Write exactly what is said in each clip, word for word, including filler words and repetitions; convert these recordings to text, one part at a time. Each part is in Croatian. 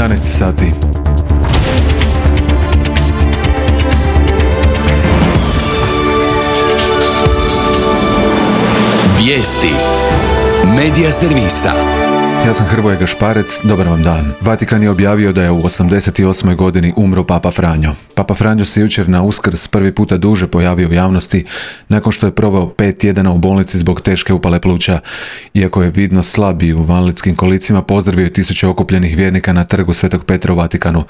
jedanaest sati. Vijesti Medija servisa. Ja sam Hrvoje Gašparec, dobar vam dan. Vatikan je objavio da je u osamdeset osmoj godini umro Papa Franjo. Papa Franjo se jučer na Uskrs prvi puta duže pojavio u javnosti nakon što je proveo pet tjedana u bolnici zbog teške upale pluća. Iako je vidno slab i u vanlitskim kolicima, pozdravio tisuće okupljenih vjernika na trgu Svetog Petra u Vatikanu.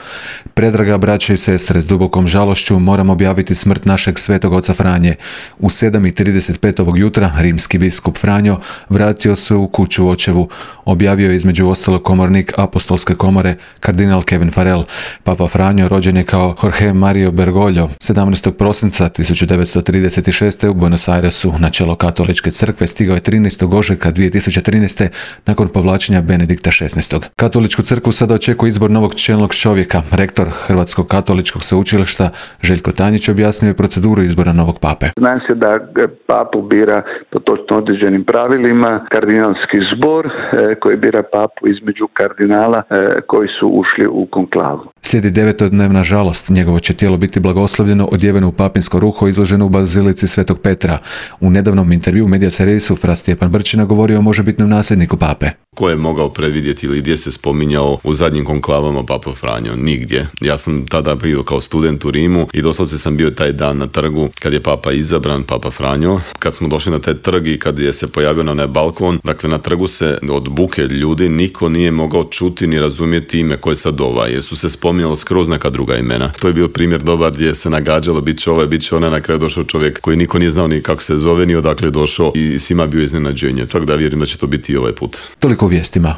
Predraga braće i sestre, s dubokom žalošću moram objaviti smrt našeg svetog oca Franje. U sedam i trideset pet ovog jutra rimski biskup Franjo vratio se u kuću očevu. Objavio je između ostalog komornik apostolske komore kardinal Kevin Farrell. Papa Franjo rođen je kao Jorge Mario Bergoglio sedamnaestog prosinca tisuću devetsto trideset šeste. u Buenos Airesu. Na čelo katoličke crkve stigao je trinaestog ožujka dvije tisuće trinaeste. nakon povlačenja Benedikta šesnaestog. Katoličku crkvu sada očekuje izbor novog čelnog čovjeka. Rektor Hrvatskog katoličkog sveučilišta Željko Tanjić objasnio je proceduru izbora novog pape. Zna se da papu bira po točno određenim pravilima kardinalski zbor koji bira papu između kardinala koji su ušli u konklavu. Slijedi devetodnevna žalost. Njegovo će tijelo biti blagoslovljeno, odjeveno u papinsko ruho, izloženo u bazilici Svetog Petra. U nedavnom intervju u Medija servisu Fra Stjepan Brčina govorio o možebitnom nasljedniku pape. Ko je mogao predvidjeti ili gdje se spominjao u zadnjim konklavama Papa Franjo? Nigdje. Ja sam tada bio kao student u Rimu i doslovce sam bio taj dan na trgu kad je papa izabran, Papa Franjo. Kad smo došli na taj trg i kad je se pojavio na onaj balkon, dakle na trgu se od buke ljudi niko nije mogao čuti ni razumjeti ime koje sad ovaj, jer su se spominjalo skroz neka druga imena. To je bio primjer dobar gdje se nagađalo bit će ovaj, bit će ona, na kraju došao čovjek koji niko nije znao ni kako se zove, ni odakle je došao i svima bio iznenađenje. Tako da vjerujem da će to biti i ovaj put. Toliko u vijestima.